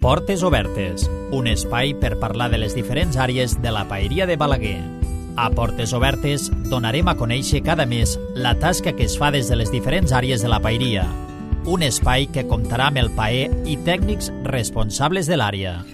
Portes Obertes, un espai per parlar de les diferents àrees de la paeria de Balaguer. A Portes Obertes donarem a conèixer cada mes la tasca que es fa des de les diferents àrees de la paeria. Un espai que comptarà amb el paer i tècnics responsables de l'àrea.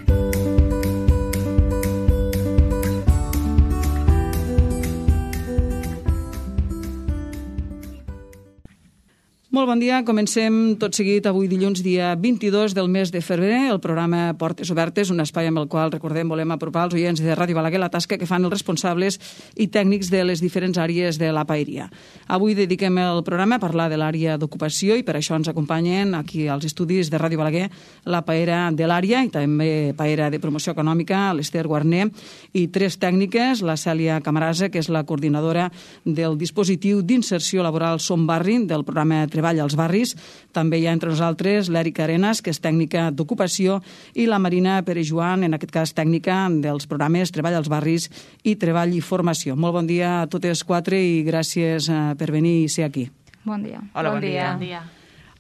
Molt bon dia, comencem tot seguit avui dilluns dia 22 del mes de febrer el programa Portes Obertes, un espai amb el qual, recordem, volem apropar als oients de Ràdio Balaguer la tasca que fan els responsables i tècnics de les diferents àrees de la paeria. Avui dediquem el programa a parlar de l'àrea d'ocupació i per això ens acompanyen aquí als estudis de Ràdio Balaguer la paera de l'àrea i també paera de promoció econòmica, l'Ester Guarner, i tres tècniques, la Cèlia Camarasa, que és la coordinadora del dispositiu d'inserció laboral Som Barri del programa Treball als Barris. També hi ha entre nosaltres l'Èrica Arenas, que és tècnica d'ocupació, i la Marina Perejoan, en aquest cas tècnica dels programes Treball als Barris i Treball i Formació. Molt bon dia a totes quatre i gràcies per venir i ser aquí. Bon dia. Hola, bon dia. Bon dia.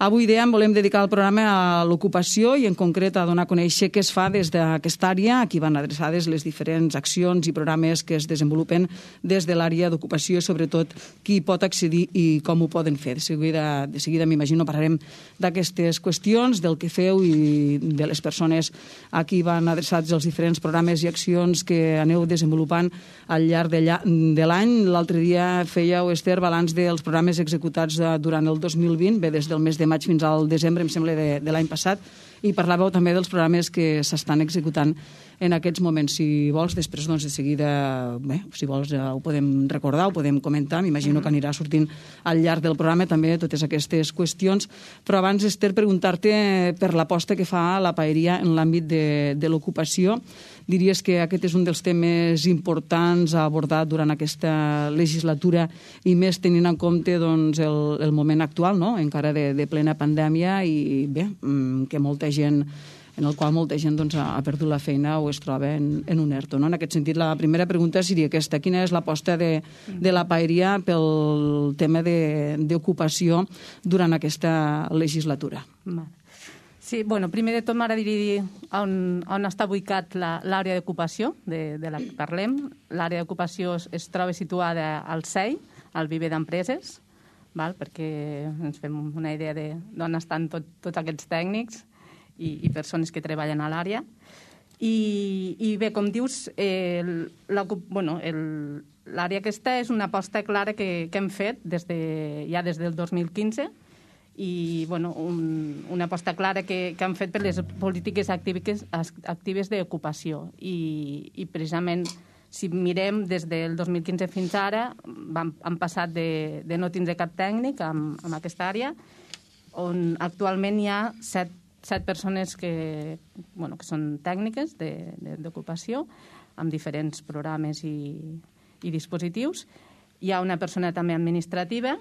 Avui, dèiem, volem dedicar el programa a l'ocupació i en concret a donar a conèixer què es fa des d'aquesta àrea, a qui van adreçades les diferents accions i programes que es desenvolupen des de l'àrea d'ocupació i sobretot qui pot accedir i com ho poden fer. De seguida m'imagino, parlarem d'aquestes qüestions, del que feu i de les persones a qui van adreçats els diferents programes i accions que aneu desenvolupant al llarg de l'any. L'altre dia fèieu, Ester, balanç dels programes executats durant el 2020, bé, des del mes de maig fins al desembre, em sembla, de l'any passat, i parlàveu també dels programes que s'estan executant en aquests moments. Si vols, després, doncs, de seguida, bé, si vols, ho podem recordar, ho podem comentar, m'imagino que anirà sortint al llarg del programa també totes aquestes qüestions, però abans, Ester, preguntar-te per l'aposta que fa la paeria en l'àmbit de l'ocupació. Diries que aquest és un dels temes importants a abordar durant aquesta legislatura i més tenint en compte doncs, el moment actual, no? Encara de plena pandèmia i bé, que molta gent en el qual molta gent doncs, ha perdut la feina o es troba en un ERTO. No? En aquest sentit, la primera pregunta seria aquesta. Quina és l'aposta de la paeria pel tema d'ocupació durant aquesta legislatura? Sí, bueno, primer de tot m'agradaria dir on està ubicat l'àrea d'ocupació de la que parlem. L'àrea d'ocupació es troba situada al CEI, al Viver d'Empreses, perquè ens fem una idea d'on estan tots aquests tècnics i persones que treballen a l'àrea. I bé, com dius, l'àrea aquesta és una aposta clara que hem fet des del 2015 i una aposta clara que han fet per les polítiques actives d'ocupació. I precisament, si mirem des del 2015 fins ara, han passat de no tindre cap tècnic en aquesta àrea, on actualment hi ha 7 persones que són tècniques d'ocupació, amb diferents programes i dispositius. Hi ha una persona també administrativa,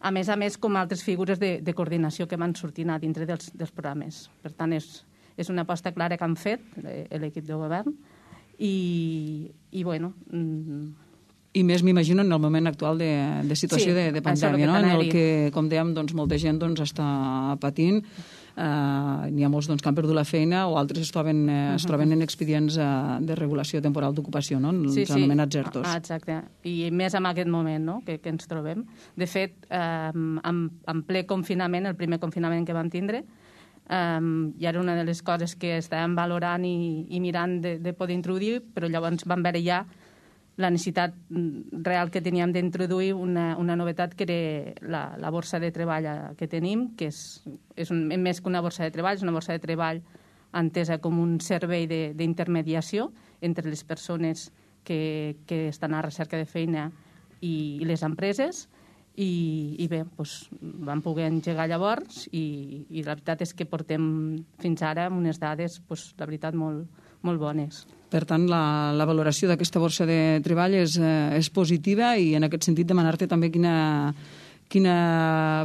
a més, com altres figures de coordinació que van sortint a dintre dels programes. Per tant, és una aposta clara que han fet l'equip de govern i I més, m'imagino, en el moment actual de situació de pandèmia, no? En el que, com dèiem, molta gent està patint. N'hi ha molts que han perdut la feina o altres es troben en expedients de regulació temporal d'ocupació, no? Els anomenats ERTOs. Exacte. I més en aquest moment que ens trobem. De fet, en ple confinament, el primer confinament que vam tindre, i era una de les coses que estàvem valorant i mirant de poder introduir, però llavors vam veure ja la necessitat real que teníem d'introduir una novetat que era la borsa de treball que tenim, que és més que una borsa de treball, és una borsa de treball entesa com un servei d'intermediació entre les persones que estan a recerca de feina i les empreses. I bé, vam poder engegar llavors i la veritat és que portem fins ara amb unes dades, la veritat, molt bones. Per tant, la valoració d'aquesta borsa de treball és positiva i en aquest sentit demanar-te també quina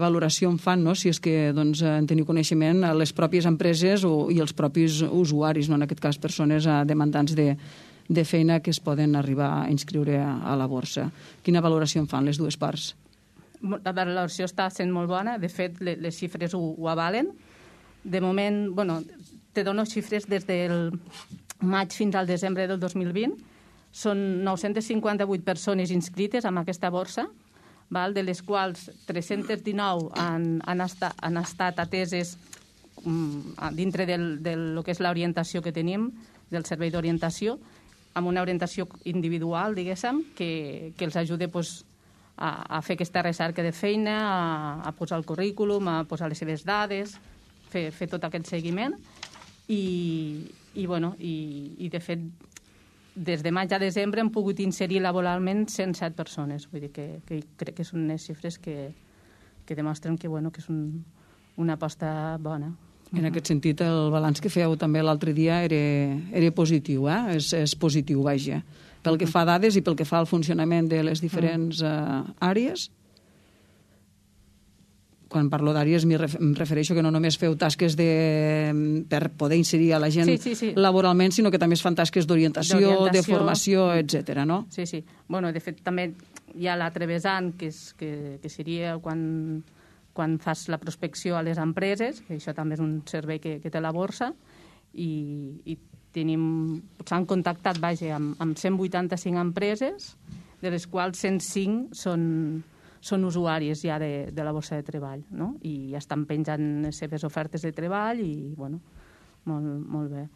valoració en fan, no? Si és que en teniu coneixement les pròpies empreses i els propis usuaris, no? En aquest cas persones demandants de feina que es poden arribar a inscriure a la borsa. Quina valoració en fan les dues parts? La valoració està sent molt bona, de fet les xifres ho avalen. De moment, te dono xifres des del maig fins al desembre del 2020. Són 958 persones inscrites en aquesta borsa, de les quals 319 han estat ateses dintre del que és l'orientació que tenim, del servei d'orientació, amb una orientació individual, diguéssim, que els ajuda a fer aquesta recerca de feina, a posar el currículum, a posar les seves dades, fer tot aquest seguiment. I de fet, des de maig a desembre hem pogut inserir laboralment 107 persones. Vull dir que crec que són unes xifres que demostren que és una aposta bona. En aquest sentit, el balanç que fèieu també l'altre dia era positiu, és positiu, vaja. Pel que fa a dades i pel que fa al funcionament de les diferents àrees. Quan parlo d'àrees em refereixo que no només feu tasques per poder inserir a la gent laboralment, sinó que també es fan tasques d'orientació, de formació, etc. no? Sí. De fet, també hi ha l'altre vessant, que seria quan fas la prospecció a les empreses, que això també és un servei que té la borsa, i s'han contactat amb 185 empreses, de les quals 105 són usuaris ja de la borsa de treball, no? I estan penjant les seves ofertes de treball i, molt bé.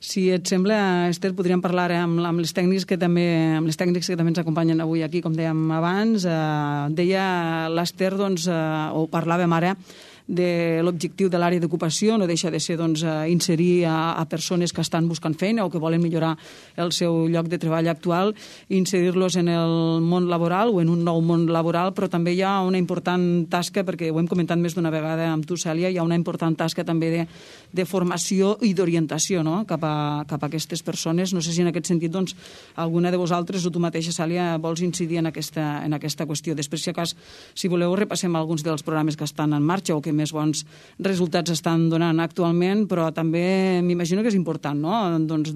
Si et sembla, Esther, podríem parlar amb les tècnics que també ens acompanyen avui aquí, com dèiem abans. Deia l'Esther, o parlàvem ara, de l'objectiu de l'àrea d'ocupació, no deixa de ser inserir a persones que estan buscant feina o que volen millorar el seu lloc de treball actual, inserir-los en el món laboral o en un nou món laboral, però també hi ha una important tasca, perquè ho hem comentat més d'una vegada amb tu, Cèlia, hi ha una important tasca també de formació i d'orientació, no?, cap a aquestes persones. No sé si en aquest sentit alguna de vosaltres o tu mateixa, Cèlia, vols incidir en aquesta qüestió. Després, si voleu, repassem alguns dels programes que estan en marxa o que més bons resultats estan donant actualment, però també m'imagino que és important, no?,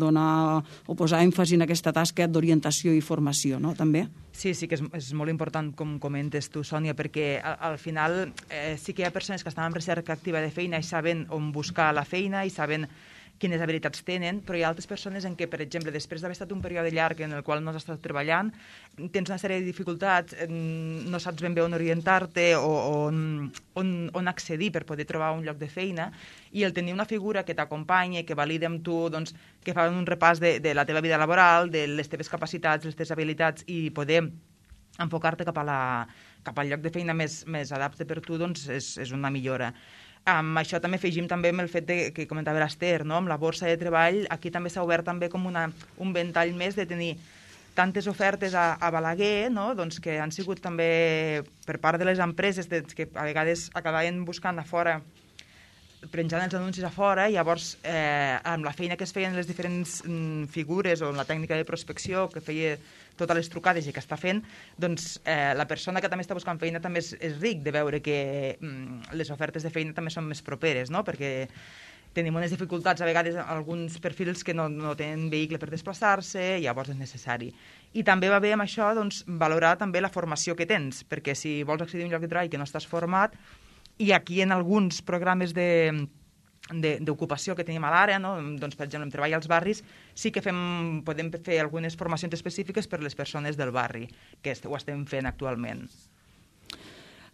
donar o posar èmfasi en aquesta tasca d'orientació i formació, no?, també. Sí, que és molt important, com comentes tu, Sònia, perquè al final sí que hi ha persones que estan en recerca activa de feina i saben on buscar la feina i saben quines habilitats tenen, però hi ha altres persones en què, per exemple, després d'haver estat un període llarg en el qual no has estat treballant, tens una sèrie de dificultats, no saps ben bé on orientar-te o on accedir per poder trobar un lloc de feina, i el tenir una figura que t'acompanya, que valida amb tu, que fa un repàs de la teva vida laboral, de les teves capacitats, les teves habilitats, i poder enfocar-te cap al lloc de feina més adapte per tu, és una millora. Amb això també afegim també amb el fet que comentava l'Esther, no?, amb la borsa de treball, aquí també s'ha obert també com un ventall més de tenir tantes ofertes a Balaguer, no?, que han sigut també per part de les empreses que a vegades acabaven buscant a fora, penjant els anuncis a fora, i llavors amb la feina que es feien les diferents figures o la tècnica de prospecció que feia totes les trucades i que està fent, la persona que també està buscant feina també és ric de veure que les ofertes de feina també són més properes, no?, perquè tenim unes dificultats a vegades alguns perfils que no tenen vehicle per desplaçar-se, llavors és necessari. I també va bé amb això valorar també la formació que tens, perquè si vols accedir a un lloc de treball que no estàs format, i aquí en alguns programes d'ocupació que tenim a l'àrea, no?, per exemple, en treball als barris, sí que podem fer algunes formacions específiques per les persones del barri, que ho estem fent actualment.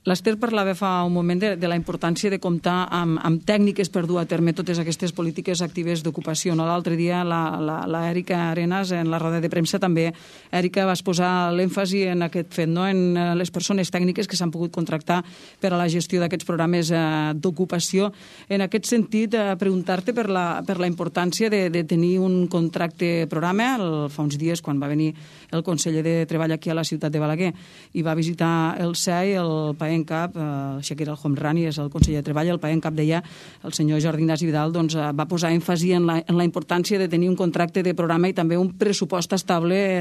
L'Esther parlava fa un moment de la importància de comptar amb tècniques per dur a terme totes aquestes polítiques actives d'ocupació. L'altre dia l'Èrica Arenas, en la roda de premsa, també, Èrica, vas posar l'èmfasi en aquest fet, no?, en les persones tècniques que s'han pogut contractar per a la gestió d'aquests programes d'ocupació. En aquest sentit, preguntar-te per la importància de tenir un contracte programa. Fa uns dies, quan va venir el conseller de Treball aquí a la ciutat de Balaguer i va visitar el CEI, el PAENCAP, el Shakir El-Homrani és el conseller de Treball, el PAENCAP deia, el senyor Jordi Ignasi Vidal, va posar èmfasi en la importància de tenir un contracte de programa i també un pressupost estable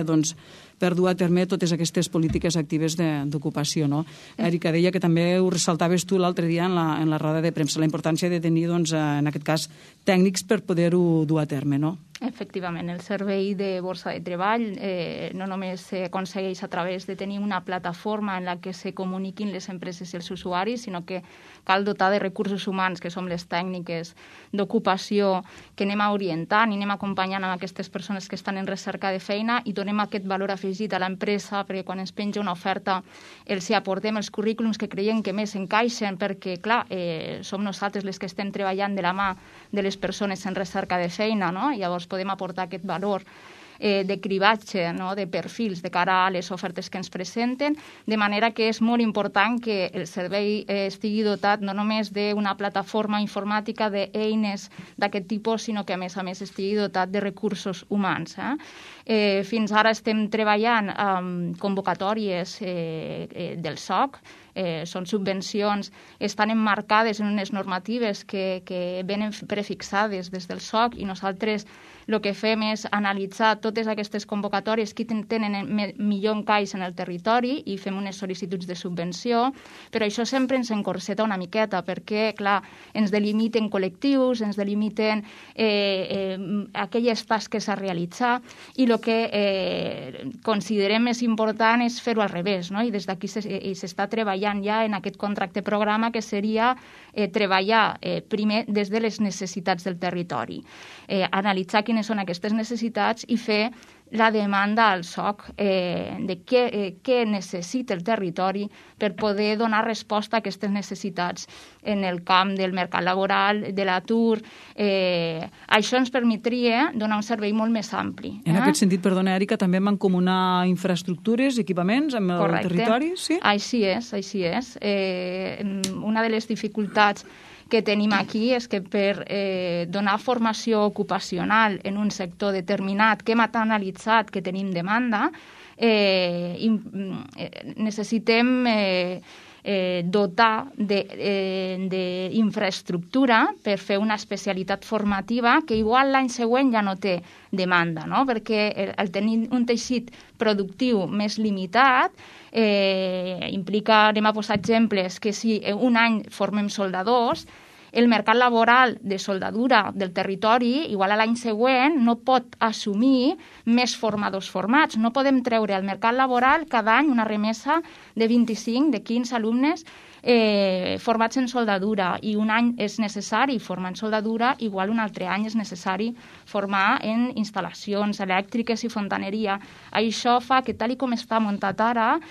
per dur a terme totes aquestes polítiques actives d'ocupació, no? Èrica, deia que també ho ressaltaves tu l'altre dia en la roda de premsa, la importància de tenir, en aquest cas, tècnics per poder-ho dur a terme, no? Efectivament, el servei de borsa de treball no només s'aconsegueix a través de tenir una plataforma en la que se comuniquin les empreses i els usuaris, sinó que cal dotar de recursos humans, que som les tècniques d'ocupació, que anem orientant i anem acompanyant a aquestes persones que estan en recerca de feina i donem aquest valor afegit a l'empresa, perquè quan es penja una oferta els hi aportem els currículums que creiem que més encaixen, perquè, clar, som nosaltres les que estem treballant de la mà de les persones en recerca de feina, no? Llavors podem aportar aquest valor de cribatge, no? De perfils de cara a les ofertes que ens presenten, de manera que és molt important que el servei estigui dotat no només d'una plataforma informàtica d'eines d'aquest tipus, sinó que a més estigui dotat de recursos humans. Fins ara estem treballant amb convocatòries del SOC, són subvencions, estan emmarcades en unes normatives que venen prefixades des del SOC i nosaltres el que fem és analitzar totes aquestes convocatòries que tenen millor encaix en el territori i fem unes sol·licituds de subvenció, però això sempre ens encorseta una miqueta perquè, clar, ens delimiten col·lectius, ens delimiten aquelles tasques a realitzar i el que considerem més important és fer-ho al revés, no? I des d'aquí s'està treballant ja en aquest contracte programa que seria treballar primer des de les necessitats del territori, analitzar quines són aquestes necessitats i fer la demanda al SOC de què necessita el territori per poder donar resposta a aquestes necessitats en el camp del mercat laboral, de l'atur. Això ens permetria donar un servei molt més ampli. En aquest sentit, perdona, Èrica, també mancomunar infraestructures, equipaments amb el territori? Sí? Així és. Una de les dificultats que tenim aquí és que per donar formació ocupacional en un sector determinat que hem analitzat que tenim demanda, necessitem dotar d'infraestructura per fer una especialitat formativa que igual l'any següent ja no té demanda, no? Perquè el tenir un teixit productiu més limitat implica, anem a posar exemples, que si un any formem soldadors, el mercat laboral de soldadura del territori, igual a l'any següent, no pot assumir més formadors formats. No podem treure al mercat laboral cada any una remesa de 25, de 15 alumnes formats en soldadura, i un any és necessari formar en soldadura, igual un altre any és necessari formar en instal·lacions elèctriques i fontaneria. Això fa que, tal com està muntat ara,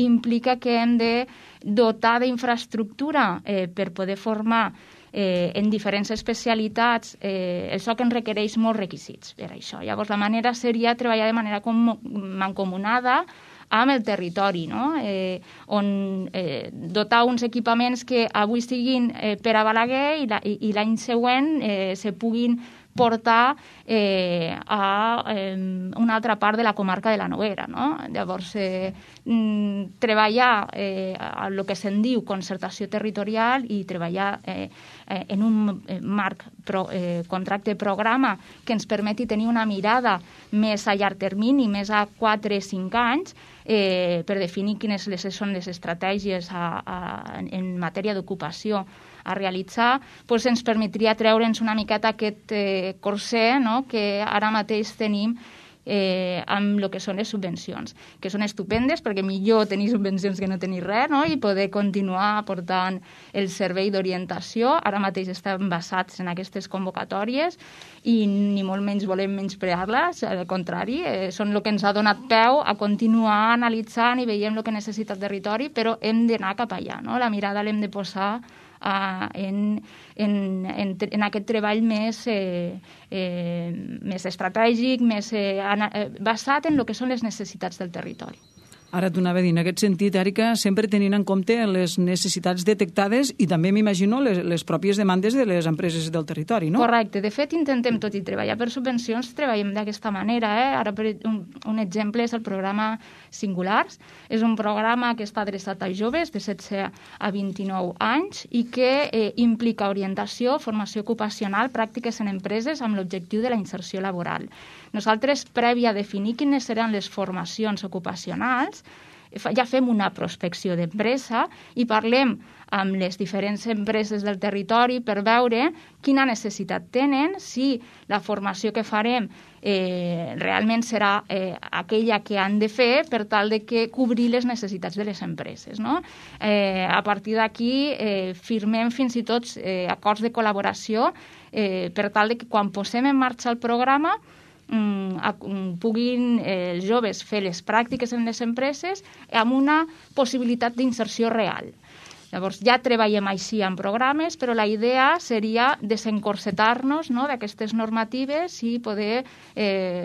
implica que hem de dotar d'infraestructura per poder formar en diferents especialitats. El SOC en requereix molts requisits per això. Llavors, la manera seria treballar de manera mancomunada amb el territori, no? On dotar uns equipaments que avui siguin per a Balaguer i l'any següent se puguin portar a una altra part de la comarca de la Noguera, no? Llavors, treballar el que se'n diu concertació territorial i treballar en un marc contracte programa que ens permeti tenir una mirada més a llarg termini, més a 4-5 anys, per definir quines són les estratègies en matèria d'ocupació a realitzar, doncs ens permetria treure'ns una miqueta aquest corser, no?, que ara mateix tenim amb el que són les subvencions, que són estupendes perquè millor tenir subvencions que no tenir res, no?, i poder continuar aportant el servei d'orientació. Ara mateix estem basats en aquestes convocatòries i ni molt menys volem menysprear-les, al contrari, són el que ens ha donat peu a continuar analitzant i veiem el que necessita el territori, però hem d'anar cap allà, no? La mirada l'hem de posar en aquest treball més estratègic, més basat en el que són les necessitats del territori. Ara t'ho anava a dir, en aquest sentit, Èrica, sempre tenint en compte les necessitats detectades i també m'imagino les pròpies demandes de les empreses del territori, no? Correcte. De fet, intentem tot i treballar per subvencions, treballem d'aquesta manera. Ara, un exemple és el programa Singulars. És un programa que està adreçat a joves de 16 a 29 anys i que implica orientació, formació ocupacional, pràctiques en empreses amb l'objectiu de la inserció laboral. Nosaltres, prèvia a definir quines seran les formacions ocupacionals, ja fem una prospecció d'empresa i parlem amb les diferents empreses del territori per veure quina necessitat tenen, si la formació que farem realment serà aquella que han de fer per tal de que cobrir les necessitats de les empreses. No? A partir d'aquí firmem fins i tot acords de col·laboració per tal de que quan posem en marxa el programa puguin els joves fer les pràctiques en les empreses amb una possibilitat d'inserció real. Llavors, ja treballem així en programes, però la idea seria desencorsetar-nos d'aquestes normatives i poder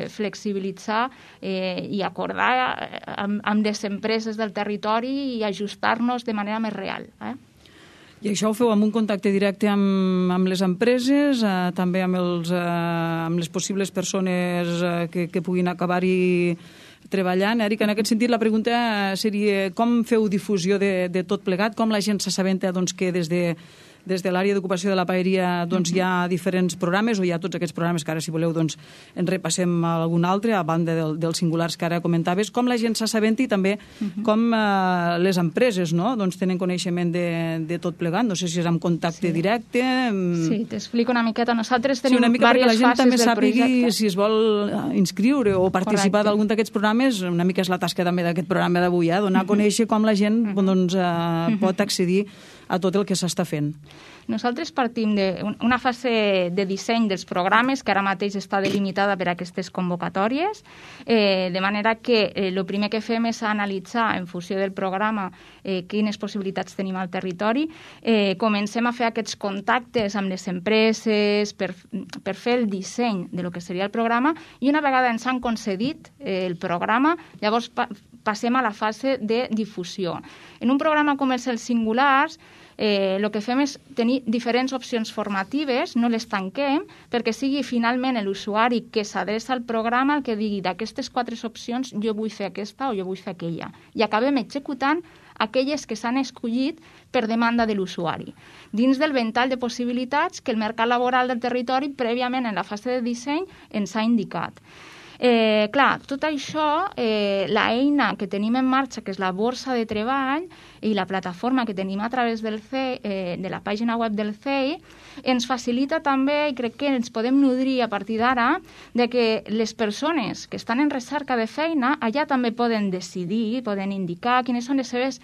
flexibilitzar i acordar amb les empreses del territori i ajustar-nos de manera més real. I això ho feu amb un contacte directe amb les empreses, també amb les possibles persones que puguin acabar-hi treballant. Eric, en aquest sentit la pregunta seria com feu difusió de tot plegat, com la gent s'assabenta que des de l'àrea d'ocupació de la paeria hi ha diferents programes, o hi ha tots aquests programes que ara, si voleu, en repassem algun altre, a banda dels singulars que ara comentaves, com la gent s'assabenta i també com les empreses tenen coneixement de tot plegat. No sé si és amb contacte directe. Sí, t'explico una miqueta. Nosaltres tenim una mica perquè la gent també sàpiga si es vol inscriure o participar d'algun d'aquests programes. Una mica és la tasca també d'aquest programa d'avui, donar a conèixer com la gent pot accedir a tot el que s'està fent. Nosaltres partim d'una fase de disseny dels programes que ara mateix està delimitada per aquestes convocatòries, de manera que el primer que fem és analitzar en funció del programa quines possibilitats tenim al territori. Comencem a fer aquests contactes amb les empreses per fer el disseny de lo que seria el programa i una vegada ens han concedit el programa, llavors passem a la fase de difusió. En un programa com els singulars, el que fem és tenir diferents opcions formatives, no les tanquem, perquè sigui finalment l'usuari que s'adreça al programa el que digui d'aquestes 4 opcions jo vull fer aquesta o jo vull fer aquella. I acabem executant aquelles que s'han escollit per demanda de l'usuari, dins del ventall de possibilitats que el mercat laboral del territori prèviament en la fase de disseny ens ha indicat. Clar, tot això, l'eina que tenim en marxa, que és la borsa de treball i la plataforma que tenim a través del CEI, de la pàgina web del CEI, ens facilita també, i crec que ens podem nodrir a partir d'ara, de que les persones que estan en recerca de feina allà també poden decidir, poden indicar quines són els seus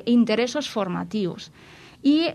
interessos formatius. I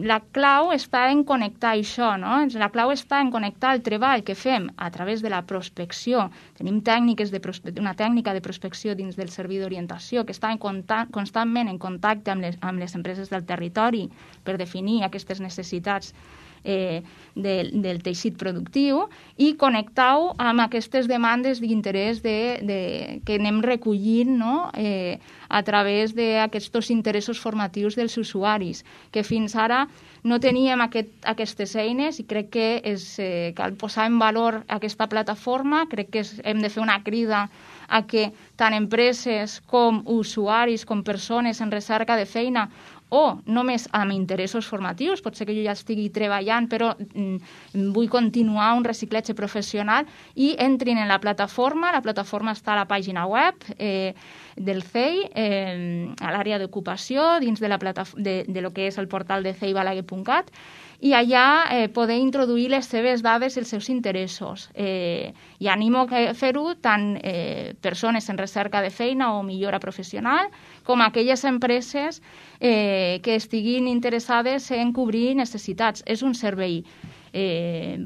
la clau està en connectar això, no? La clau està en connectar el treball que fem a través de la prospecció. Tenim una tècnica de prospecció dins del servei d'orientació que està constantment en contacte amb les empreses del territori per definir aquestes necessitats del teixit productiu i connectar-ho amb aquestes demandes d'interès que anem recollint a través d'aquests interessos formatius dels usuaris, que fins ara no teníem aquestes eines i crec que cal posar en valor aquesta plataforma. Crec que hem de fer una crida a que tant empreses com usuaris, com persones en recerca de feina o només amb interessos formatius, pot ser que jo ja estigui treballant però vull continuar un reciclatge professional i entrin en la plataforma està a la pàgina web del CEI, a l'àrea d'ocupació, dins de lo que és el portal de ceibalaguer.cat, i allà poder introduir les seves dades i els seus interessos. I animo a fer-ho tant persones en recerca de feina o millora professional com aquelles empreses que estiguin interessades en cobrir necessitats. És un servei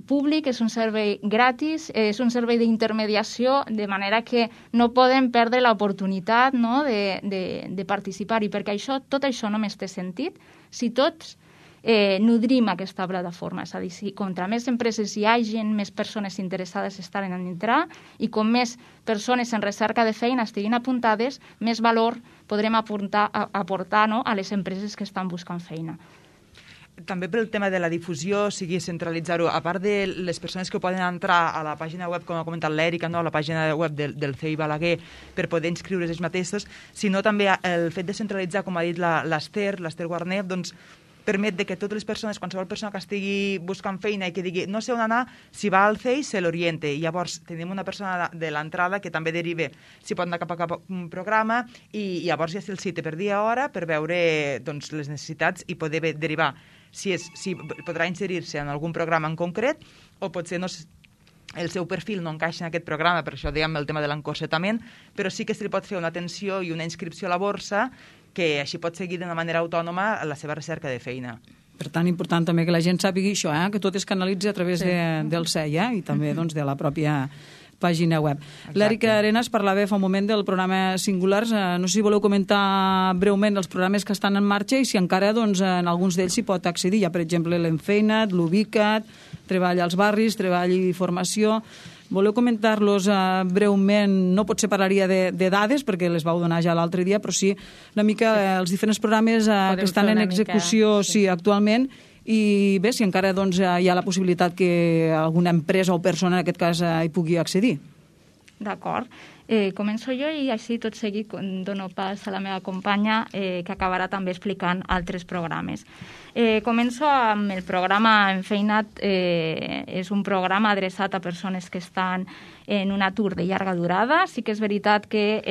públic, és un servei gratis, és un servei d'intermediació, de manera que no podem perdre l'oportunitat de participar-hi, perquè tot això només té sentit si tots nodrim aquesta plataforma. És a dir, si contra més empreses hi hagi, més persones interessades estaran en entrar i com més persones en recerca de feina estiguin apuntades, més valor podrem aportar a les empreses que estan buscant feina. També pel tema de la difusió, sigui centralitzar-ho, a part de les persones que poden entrar a la pàgina web, com ha comentat l'Èrica, a la pàgina web del CEI Balaguer per poder inscriure's ells mateixos, sinó també el fet de centralitzar, com ha dit l'Ester Guarner, doncs permet que totes les persones, qualsevol persona que estigui buscant feina i que digui no sé on anar, si va al CEI se l'oriente. I llavors tenim una persona de l'entrada que també deriva si pot anar cap a un programa i llavors ja se'l cita per dia hora per veure doncs, les necessitats i poder derivar si podrà inserir-se en algun programa en concret o potser el seu perfil no encaixa en aquest programa, per això dèiem el tema de l'encorsetament, però sí que se li pot fer una atenció i una inscripció a la borsa que així pot seguir d'una manera autònoma la seva recerca de feina. Per tant, important també que la gent sàpigui això, que tot es canalitza a través del CEI i també doncs, de la pròpia pàgina web. L'Èrica Arenas parlava fa un moment del programa Singulars. No sé si voleu comentar breument els programes que estan en marxa i si encara doncs, en alguns d'ells s'hi pot accedir. Hi ha, per exemple, l'Enfeina't, l'Ubica't, Treball als barris, Treball i formació. Voleu comentar-los breument? No potser parlaria de dades, perquè les vau donar ja l'altre dia, però sí una mica els diferents programes que estan en execució actualment. I bé, si encara doncs, hi ha la possibilitat que alguna empresa o persona, en aquest cas, hi pugui accedir. D'acord. Començo jo i així tot seguit dono pas a la meva companya que acabarà també explicant altres programes. Començo amb el programa Enfeina't. És un programa adreçat a persones que estan en un atur de llarga durada. Sí que és veritat que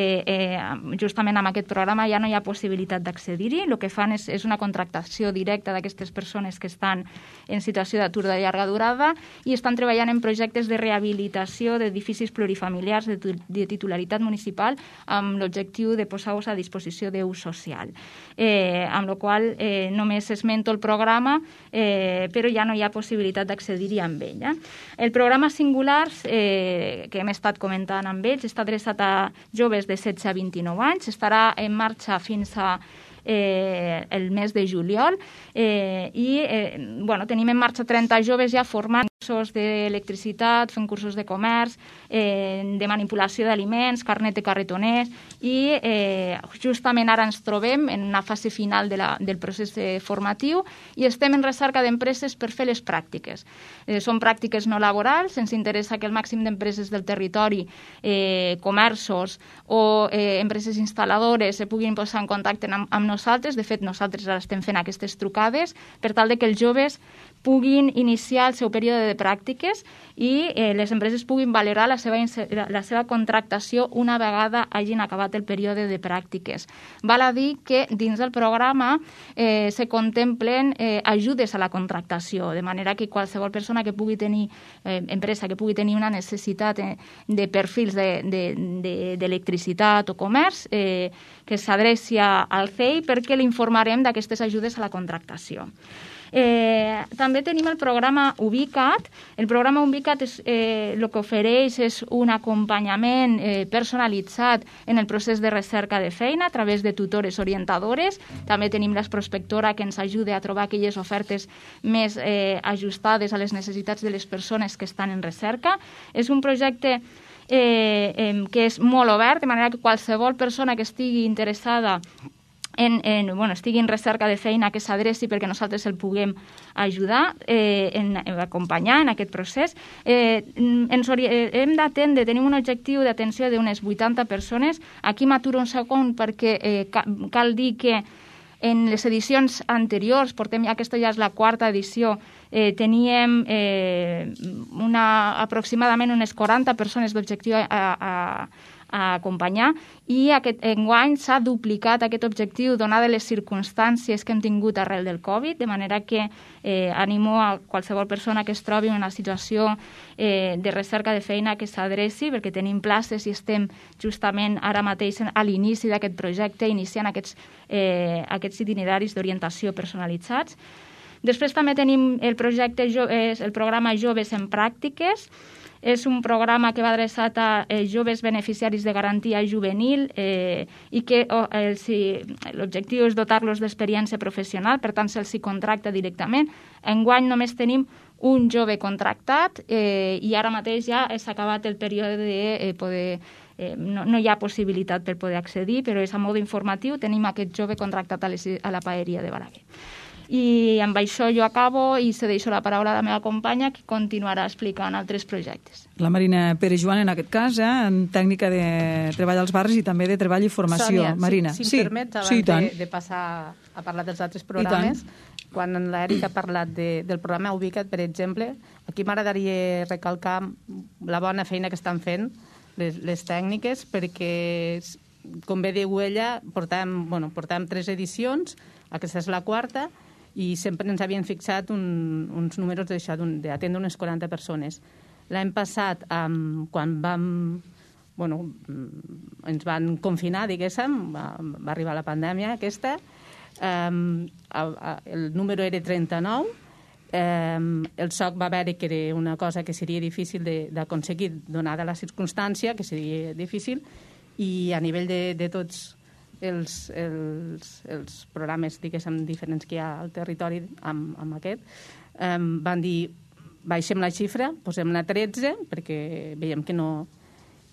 justament amb aquest programa ja no hi ha possibilitat d'accedir-hi. El que fan és una contractació directa d'aquestes persones que estan en situació d'atur de llarga durada i estan treballant en projectes de rehabilitació d'edificis plurifamiliars de titularitat municipal amb l'objectiu de posar-los a disposició d'ús social. Amb la qual només esmento el programa, però ja no hi ha possibilitat d'accedir-hi amb ell. El programa Singulars, que hem estat comentant amb ells, està adreçat a joves de 16 a 29 anys, estarà en marxa fins a el mes de juliol i tenim en marxa 30 joves ja formant cursos d'electricitat, fent cursos de comerç, de manipulació d'aliments, carnet de carretoners i justament ara ens trobem en una fase final del procés formatiu i estem en recerca d'empreses per fer les pràctiques. Són pràctiques no laborals, ens interessa que el màxim d'empreses del territori, comerços o empreses instal·ladores se puguin posar en contacte amb nosaltres. De fet, nosaltres ara estem fent aquestes trucades per tal de que els joves puguin iniciar el seu període de pràctiques i les empreses puguin valorar la seva contractació una vegada hagin acabat el període de pràctiques. Val a dir que dins del programa se contemplen ajudes a la contractació, de manera que qualsevol persona que pugui tenir, empresa que pugui tenir una necessitat de perfils d'electricitat o comerç, que s'adreci al CEI perquè l'informarem d'aquestes ajudes a la contractació. També tenim el programa Ubica't. El programa Ubica't el que ofereix és un acompanyament personalitzat en el procés de recerca de feina a través de tutores orientadores. També tenim l'Esprospectora que ens ajuda a trobar aquelles ofertes més ajustades a les necessitats de les persones que estan en recerca. És un projecte que és molt obert, de manera que qualsevol persona que estigui interessada estigui en recerca de feina que s'adreci perquè nosaltres el puguem ajudar, acompanyar en aquest procés. Hem d'atendre, tenim un objectiu d'atenció d'unes 80 persones. Aquí m'aturo un segon perquè cal dir que en les edicions anteriors, aquesta ja és la 4ª edició, teníem aproximadament unes 40 persones d'objectiu a acompanyar i enguany s'ha duplicat aquest objectiu donades les circumstàncies que hem tingut arrel del Covid, de manera que animo a qualsevol persona que es trobi en una situació de recerca de feina que s'adreci, perquè tenim places i estem justament ara mateix a l'inici d'aquest projecte, iniciant aquests itineraris d'orientació personalitzats. Després també tenim el programa Joves en Pràctiques. És un programa que va adreçat a joves beneficiaris de garantia juvenil i que l'objectiu és dotar-los d'experiència professional, per tant se'ls contracta directament. Enguany només tenim un jove contractat i ara mateix ja s'ha acabat el període de poder... No hi ha possibilitat per poder accedir, però és a mode informatiu. Tenim aquest jove contractat a la paeria de Balaguer. I amb això jo acabo i cedeixo la paraula a la meva companya, que continuarà explicant altres projectes. La Marina Pere-Joan, en aquest cas, en tècnica de treball als barris i també de treball i formació. Sònia, Marina. si em permets, abans de passar a parlar dels altres programes, quan l'Eric ha parlat del programa Ubica't, per exemple, aquí m'agradaria recalcar la bona feina que estan fent les tècniques, perquè, com bé diu ella, portem 3 edicions, aquesta és la 4ª, i sempre ens havien fixat uns números d'atendre unes 40 persones. L'any passat, quan ens van confinar, diguéssim, va arribar la pandèmia aquesta, el número era 39, el SOC va veure que era una cosa que seria difícil d'aconseguir, donada la circumstància, que seria difícil, i a nivell de tots els programes, diguéssim, diferents que hi ha al territori amb aquest, van dir, baixem la xifra, posem-la a 13, perquè veiem que no...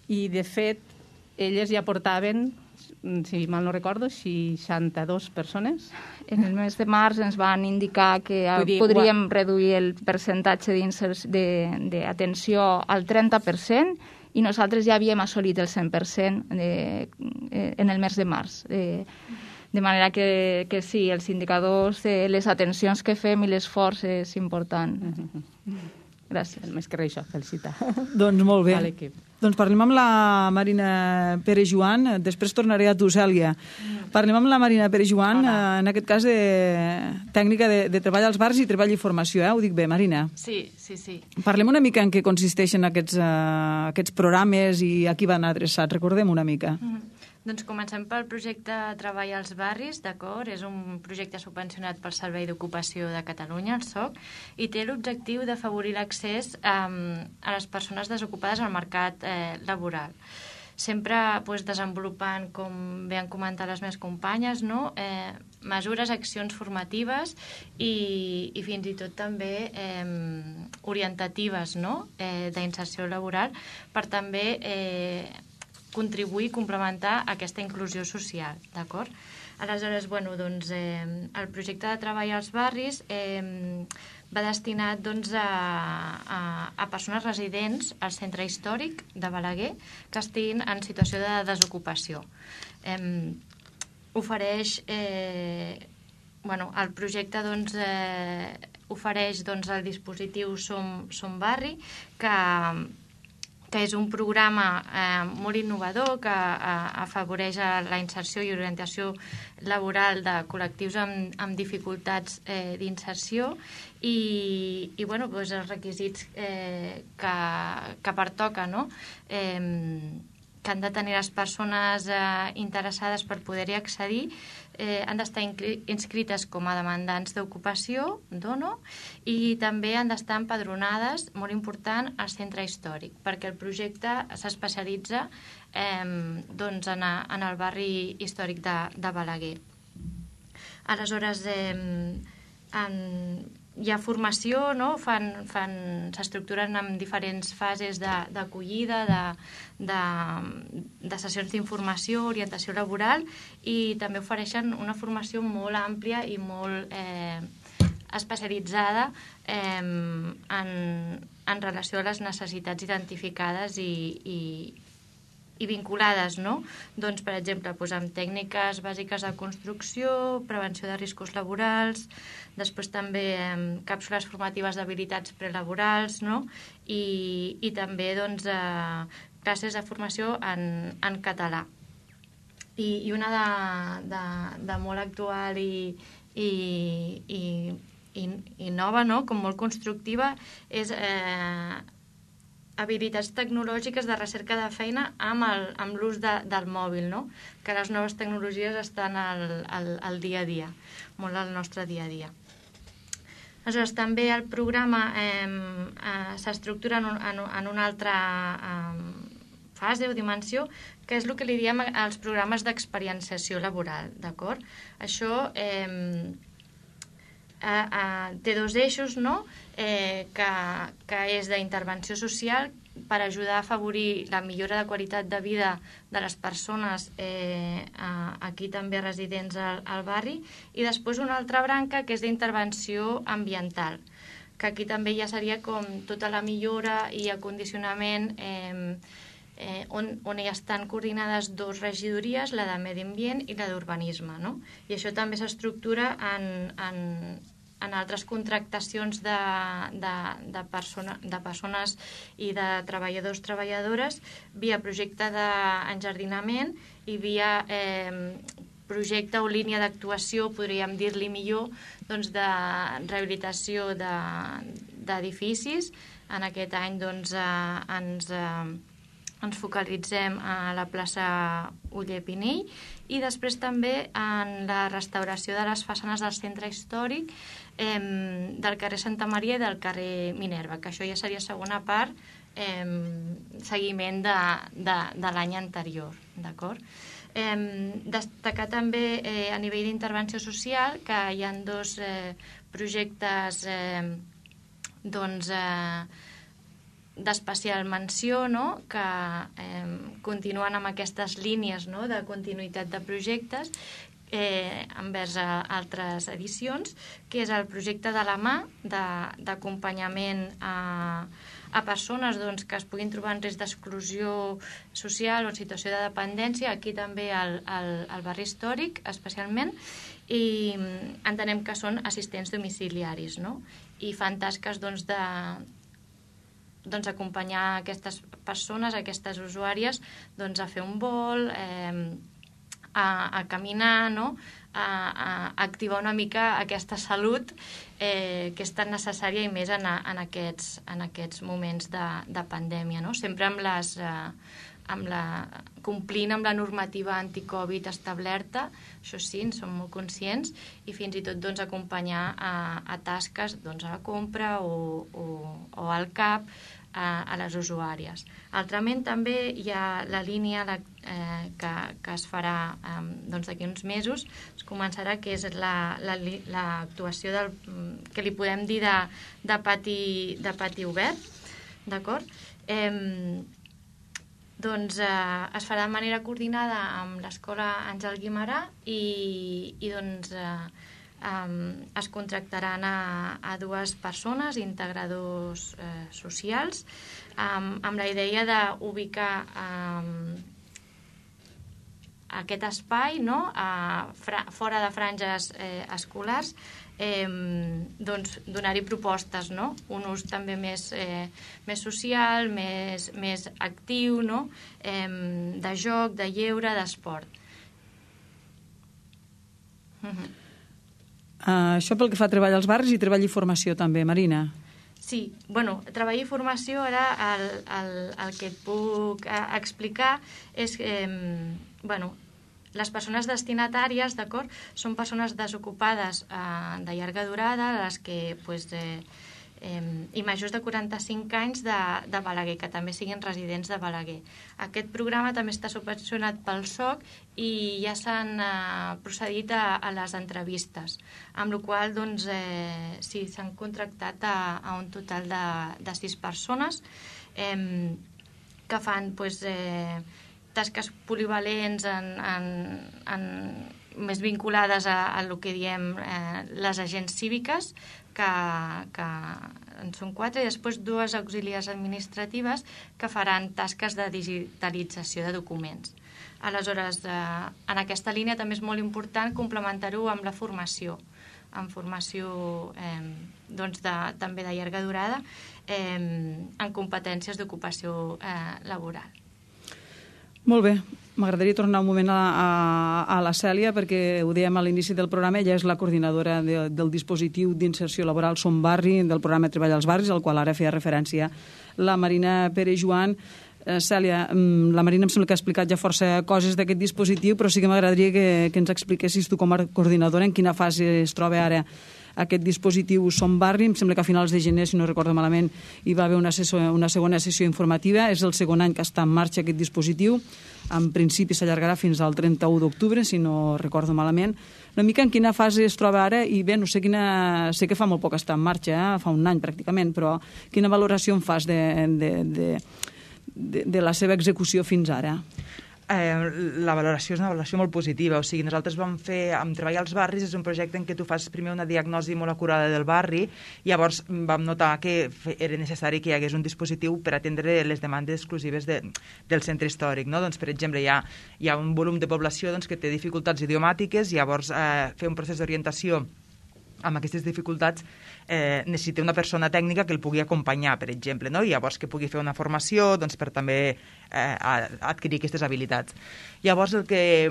I, de fet, elles ja portaven, si mal no recordo, 62 persones. En el mes de març ens van indicar que podríem reduir el percentatge d'atenció al 30%, i nosaltres ja havíem assolit el 100% en el mes de març. De manera que sí, els indicadors de les atencions que fem i l'esforç és important. Gràcies. Més que res això, felicitar. Doncs molt bé. A l'equip. Doncs parlem amb la Marina Pere-Joan, després tornaré a tu, Cèlia. Parlem amb la Marina Pere-Joan, en aquest cas de tècnica de treball als bars i treball i formació, ho dic bé, Marina? Sí. Parlem una mica en què consisteixen aquests programes i a qui van adreçats, recordem una mica. Doncs comencem pel projecte Treball als barris, d'acord? És un projecte subvencionat pel Servei d'Ocupació de Catalunya, el SOC, i té l'objectiu d'afavorir l'accés a les persones desocupades al mercat laboral. Sempre desenvolupant, com bé han comentat les meves companyes, mesures, accions formatives i fins i tot també orientatives d'inserció laboral per també contribuir i complementar aquesta inclusió social, d'acord? Aleshores, el projecte de treball als barris va destinat a persones residents al centre històric de Balaguer que estiguin en situació de desocupació. El projecte ofereix el dispositiu Som Barri, que és un programa molt innovador que afavoreix la inserció i orientació laboral de col·lectius amb dificultats d'inserció i els requisits que pertoca, que han de tenir les persones interessades per poder-hi accedir, han d'estar inscrites com a demandants d'ocupació, DONO, i també han d'estar empadronades, molt important, al centre històric, perquè el projecte s'especialitza en el barri històric de Balaguer. Aleshores, hi ha formació, s'estructuren en diferents fases d'acollida, de sessions d'informació, orientació laboral, i també ofereixen una formació molt àmplia i molt especialitzada en relació a les necessitats identificades i vinculades, doncs, per exemple, amb tècniques bàsiques de construcció, prevenció de riscos laborals, després també càpsules formatives d'habilitats prelaborals, i també classes de formació en català. I una de molt actual i nova, com molt constructiva, és habilitats tecnològiques de recerca de feina amb l'ús del mòbil, que les noves tecnologies estan al dia a dia, molt al nostre dia a dia. Aleshores, també el programa s'estructura en una altra fase o dimensió, que és el que li diem als programes d'experienciació laboral, d'acord? Això té dos eixos, que és d'intervenció social, per ajudar a afavorir la millora de qualitat de vida de les persones aquí també residents al barri, i després una altra branca que és d'intervenció ambiental, que aquí també ja seria com tota la millora i acondicionament on hi estan coordinades dues regidories, la de Medi Ambient i la d'Urbanisme, no? I això també s'estructura en altres contractacions de persones i de treballadors-treballadores via projecte d'enjardinament i via projecte o línia d'actuació, podríem dir-li millor, doncs de rehabilitació d'edificis. En aquest any doncs, ens focalitzem a la plaça Oller Pinell i després també en la restauració de les façanes del centre històric del carrer Santa Maria i del carrer Minerva, que això ja seria segona part, seguiment de l'any anterior, d'acord? Destacar també a nivell d'intervenció social que hi ha dos projectes d'especial menció, no? Que continuen amb aquestes línies, no? De continuïtat de projectes envers altres edicions, que és el projecte de la mà d'acompanyament a persones doncs, que es puguin trobar en risc d'exclusió social o en situació de dependència, aquí també al barri històric especialment, i entenem que són assistents domiciliaris, no? I fan tasques doncs, acompanyar aquestes persones, aquestes usuàries, doncs, a fer un vol, a caminar, no? A activar una mica aquesta salut que és tan necessària i més en aquests moments de pandèmia, no? Sempre complint amb la normativa anticovid establerta, això sí, en som molt conscients, i fins i tot doncs, acompanyar a tasques doncs, a la compra o al CAP a les usuàries. Altrament també hi ha la línia que es farà d'aquí uns mesos, es començarà, que és l'actuació que li podem dir de pati obert, d'acord? Doncs es farà de manera coordinada amb l'escola Àngel Guimerà i doncs es contractaran a dues persones, integradors socials, amb la idea d'ubicar aquest espai, no? Fora de franges escolars, doncs donar-hi propostes, no? Un ús també més social, més actiu, no? De joc, de lleure, d'esport. Això pel que fa a treball als barris i treball i formació també, Marina. Sí, bueno, treball i formació, ara el que et puc explicar és que, bueno, les persones destinatàries, d'acord, són persones desocupades de llarga durada, les que, i majors de 45 anys de Balaguer, que també siguin residents de Balaguer. Aquest programa també està subvencionat pel SOC i ja s'han procedit a les entrevistes, amb la qual cosa doncs, sí, s'han contractat a un total de 6 persones que fan tasques polivalents més vinculades a el que diem les agents cíviques, que en són 4, i després 2 auxiliars administratives que faran tasques de digitalització de documents. Aleshores, en aquesta línia també és molt important complementar-ho amb la formació, amb formació també de llarga durada en competències d'ocupació laboral. Molt bé, m'agradaria tornar un moment a la Cèlia, perquè ho dèiem a l'inici del programa, ella és la coordinadora del dispositiu d'inserció laboral Som Barri, del programa Treball als Barris, al qual ara feia referència la Marina Pere-Joan. Cèlia, la Marina em sembla que ha explicat ja força coses d'aquest dispositiu, però sí que m'agradaria que ens expliquessis tu com a coordinadora en quina fase es troba ara aquest dispositiu Som Barri. Em sembla que a finals de gener, si no recordo malament, hi va haver una segona sessió informativa. És el segon any que està en marxa aquest dispositiu. En principi s'allargarà fins al 31 d'octubre, si no recordo malament. Una mica en quina fase es troba ara, i bé, no sé quina... Sé que fa molt poc està en marxa, fa un any pràcticament, però quina valoració en fas de la seva execució fins ara? La valoració és una valoració molt positiva. O sigui, nosaltres vam fer, amb Treball als Barris, és un projecte en què tu fas primer una diagnosi molt acurada del barri, i llavors vam notar que era necessari que hi hagués un dispositiu per atendre les demandes exclusives del centre històric. No? Doncs, per exemple, hi ha un volum de població que té dificultats idiomàtiques, i llavors fer un procés d'orientació amb aquestes dificultats necessita una persona tècnica que el pugui acompanyar, per exemple, no? I llavors que pugui fer una formació per també adquirir aquestes habilitats. Llavors el que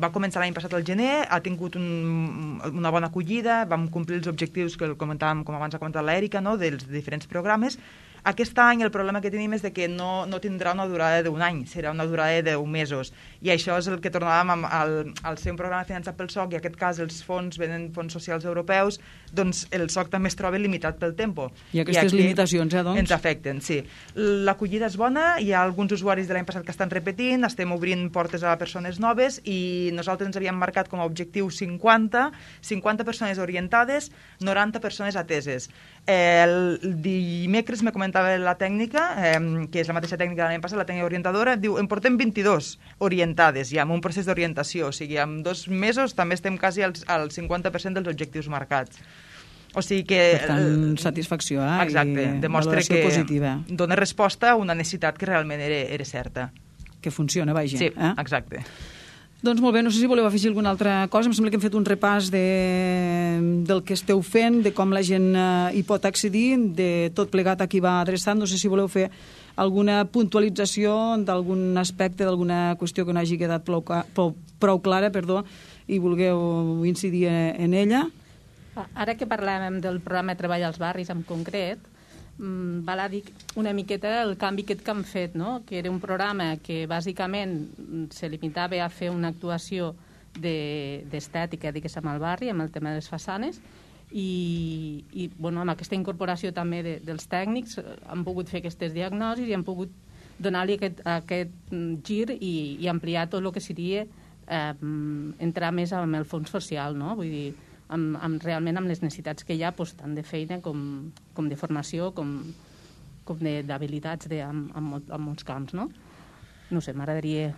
va començar l'any passat al gener ha tingut una bona acollida, vam complir els objectius que comentàvem, com abans ha comentat l'Èrica, no? Dels diferents programes. Aquest any el problema que tenim és que no tindrà una durada d'un any, serà una durada de 10 mesos. I això és el que tornàvem al ser un programa finançat pel SOC, i en aquest cas els fons venen fons socials europeus, doncs el SOC també es troba limitat pel tempo. I aquestes limitacions, doncs? Ens afecten, sí. L'acollida és bona, hi ha alguns usuaris de l'any passat que estan repetint, estem obrint portes a persones noves, i nosaltres ens havíem marcat com a objectiu 50 persones orientades, 90 persones ateses. El dimecres me comentava la tècnica, que és la mateixa tècnica de l'any passat, la tècnica orientadora, diu, en portem 22 orientades, ja, amb un procés d'orientació, o sigui, en 2 mesos també estem quasi al 50% dels objectius marcats. O sigui que... Per tant, satisfacció, exacte, i demostra valoració que positiva. Dona resposta a una necessitat que realment era certa. Que funciona, vaja. Sí, exacte. Doncs molt bé, no sé si voleu afegir alguna altra cosa. Em sembla que hem fet un repàs del que esteu fent, de com la gent hi pot accedir, de tot plegat a qui va adreçat. No sé si voleu fer alguna puntualització d'algun aspecte, d'alguna qüestió que no hagi quedat prou clara, i vulgueu incidir en ella. Ara que parlàvem del programa de Treball als Barris en concret, val a dir una miqueta el canvi que han fet, no? Que era un programa que bàsicament se limitava a fer una actuació d'estètica, diguéssim, al barri, amb el tema de les façanes, i bueno, amb aquesta incorporació també dels tècnics han pogut fer aquestes diagnosis i han pogut donar-li aquest gir i ampliar tot el que seria entrar més amb el fons social, no? Vull dir, realment amb les necessitats que hi ha, tant de feina com de formació, com d'habilitats en molts camps, no? No sé, m'agradaria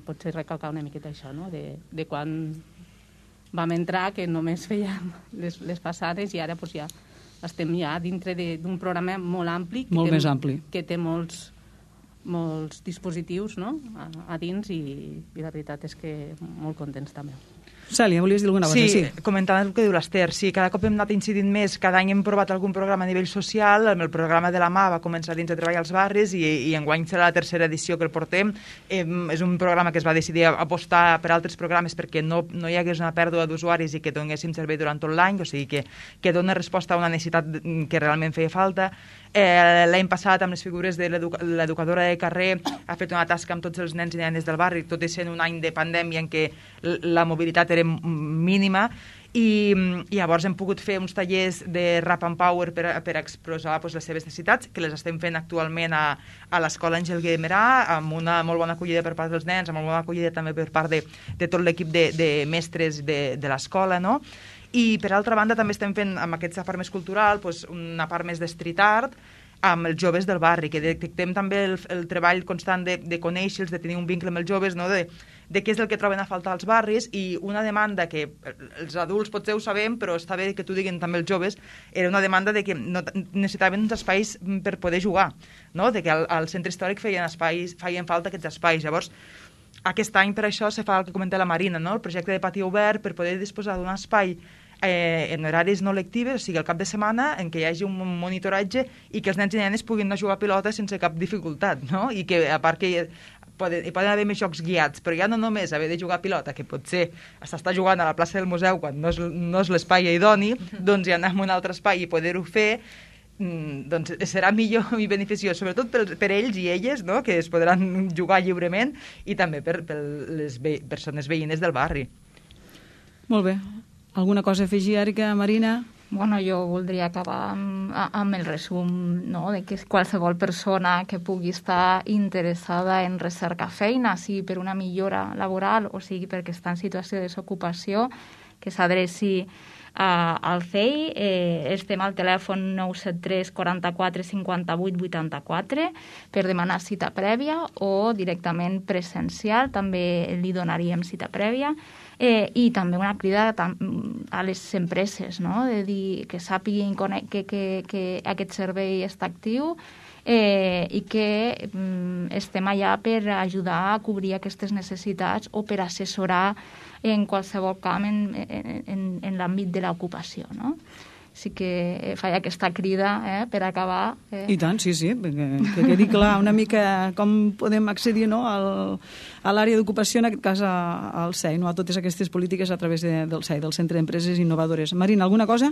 potser recalcar una miqueta això, no? De quan vam entrar, que només fèiem les façanes, i ara ja estem ja dintre d'un programa molt ampli. Molt més ampli. Que té molts dispositius, no?, a dins, i la veritat és que molt contents també. Cèlia, volies dir alguna cosa? Sí, comentant el que diu l'Ester, sí, cada cop hem anat incidint més, cada any hem provat algun programa a nivell social, el programa de la mà va començar dins de Treball als Barris, i enguany serà la tercera edició que el portem. És un programa que es va decidir apostar per altres programes perquè no hi hagués una pèrdua d'usuaris i que donéssim servei durant tot l'any, o sigui que dona resposta a una necessitat que realment feia falta. L'any passat, amb les figures de l'educadora de carrer, ha fet una tasca amb tots els nens i nenes del barri, tot i sent un any de pandèmia en què la mobilitat era mínima, i llavors hem pogut fer uns tallers de Rap and Power per expressar les seves necessitats, que les estem fent actualment a l'escola Àngel Guimerà, amb una molt bona acollida per part dels nens, amb una bona acollida també per part de tot l'equip de mestres de l'escola, no? I, per altra banda, també estem fent, amb aquesta part més cultural, una part més de street art, amb els joves del barri, que detectem també el treball constant de conèixer-los, de tenir un vincle amb els joves, no? de què és el que troben a faltar als barris, i una demanda que els adults potser ho sabem, però està bé que t'ho diguin també els joves, era una demanda de que necessitaven uns espais per poder jugar, no? De que al centre històric feien falta aquests espais. Llavors, aquest any, per això, se fa el que comenta la Marina, no? El projecte de pati obert per poder disposar d'un espai en horaris no lectives, o sigui, al cap de setmana, en què hi hagi un monitoratge i que els nens i nenes puguin anar a jugar a pilota sense cap dificultat, no? I que, a part que hi poden haver més jocs guiats, però ja no només haver de jugar a pilota, que potser s'està jugant a la plaça del museu quan no és l'espai idoni, doncs ja anar a un altre espai i poder-ho fer, doncs serà millor i beneficiós, sobretot per ells i elles, no?, que es podran jugar lliurement, i també per les persones veïnes del barri. Molt bé. Alguna cosa a afegir, Èrica, Marina? Bueno, jo voldria acabar amb el resum, no?, de que qualsevol persona que pugui estar interessada en recercar feina, sigui per una millora laboral o sigui perquè està en situació de desocupació, que s'adreci al CEI. Estem al telèfon 973 44 58 84 per demanar cita prèvia o directament presencial, també li donaríem cita prèvia. I també una crida a les empreses, no?, de dir que sàpiguin que aquest servei està actiu i que estem allà per ajudar a cobrir aquestes necessitats o per assessorar en qualsevol camp en l'àmbit de l'ocupació, no? Sí que faig aquesta crida per acabar. I tant, sí, que quedi clar una mica com podem accedir, no?, a l'àrea d'ocupació, en aquest cas al CEI, no?, a totes aquestes polítiques a través del CEI, del Centre d'Empreses Innovadores. Marina, alguna cosa?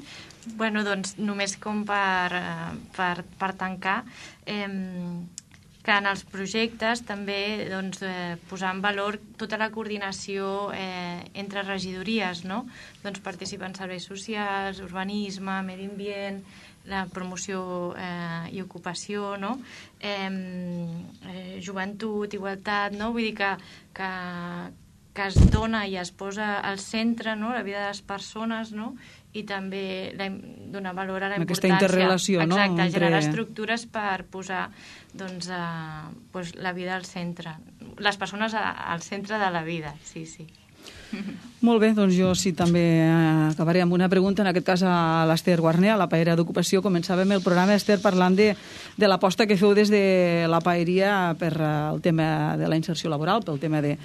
Bueno, doncs només com per tancar, que en els projectes també doncs, posar en valor tota la coordinació entre regidories, no? Doncs participen serveis socials, urbanisme, medi ambient, la promoció i ocupació, no? Joventut, igualtat, no? Vull dir que es dona i es posa al centre, no?, la vida de les persones, no?, i també donar valor a la importància. Aquesta interrelació, no? Exacte, generar estructures per posar doncs, la vida al centre. Les persones al centre de la vida, sí. Molt bé, doncs jo sí també acabaré amb una pregunta, en aquest cas a l'Ester Guarner, a la Paella d'Ocupació. Començàvem el programa, Ester, parlant de l'aposta que feu des de la Paeria per el tema de la inserció laboral, pel tema de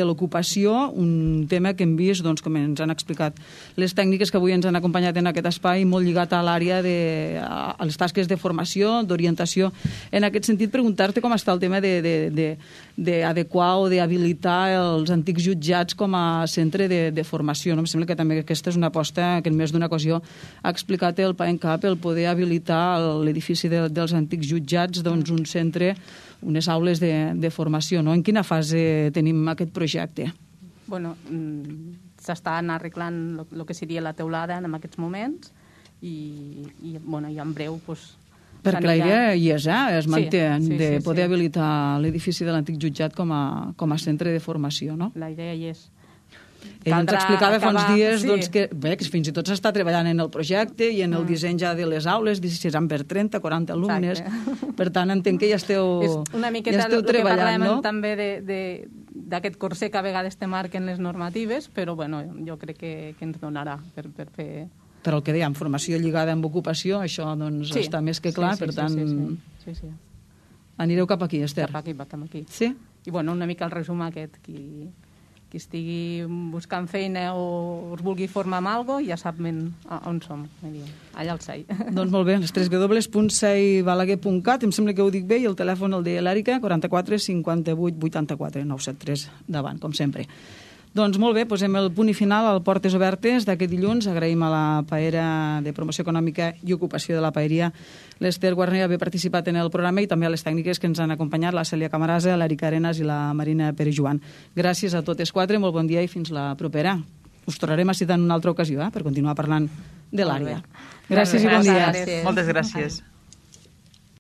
l'ocupació, un tema que hem vist, doncs, com ens han explicat les tècniques que avui ens han acompanyat en aquest espai, molt lligat a l'àrea a les tasques de formació, d'orientació. En aquest sentit, preguntar-te com està el tema d'adequar o d'habilitar els antics jutjats com a centre de formació. No? Em sembla que també aquesta és una aposta que en més d'una ocasió ha explicat el PAENCAP, el poder habilitar l'edifici dels antics jutjats, doncs, un centre, unes aules de formació, no? En quina fase tenim aquest projecte? Bueno, s'estan arreglant el que seria la teulada en aquests moments i en breu doncs, perquè la idea hi és, es manté, de poder habilitar l'edifici de l'antic jutjat com a centre de formació, no? La idea hi és. Ell ens explicava fa uns dies que fins i tot s'està treballant en el projecte i en el disseny ja de les aules, seran per 30, 40 alumnes. Per tant, entenc que ja esteu treballant, no? És una miqueta el que parlem també d'aquest corset que a vegades te marquen les normatives, però jo crec que ens donarà per fer... Però el que dèiem, formació lligada amb ocupació, això està més que clar, per tant... Sí. Anireu cap aquí, Ester? Cap aquí. Sí? I una mica el resum aquest, qui estigui buscant feina o us vulgui formar amb alguna cosa, ja sap on som, allà al CEI. Doncs molt bé, les www.ceibalaguer.cat, em sembla que ho dic bé, i el telèfon el de l'Èrica, 44 58 84 973, davant, com sempre. Doncs molt bé, posem el punt i final al Portes Obertes d'aquest dilluns. Agraïm a la Paera de Promoció Econòmica i Ocupació de la Paeria, l'Ester Guarner, haver participat en el programa, i també a les tècniques que ens han acompanyat, la Cèlia Camarasa, l'Èrica Arenas i la Marina Pere-Joan. Gràcies a totes quatre, molt bon dia i fins la propera. Us tornarem a citar en una altra ocasió per continuar parlant de l'àrea. Gràcies i bon dia. Moltes gràcies.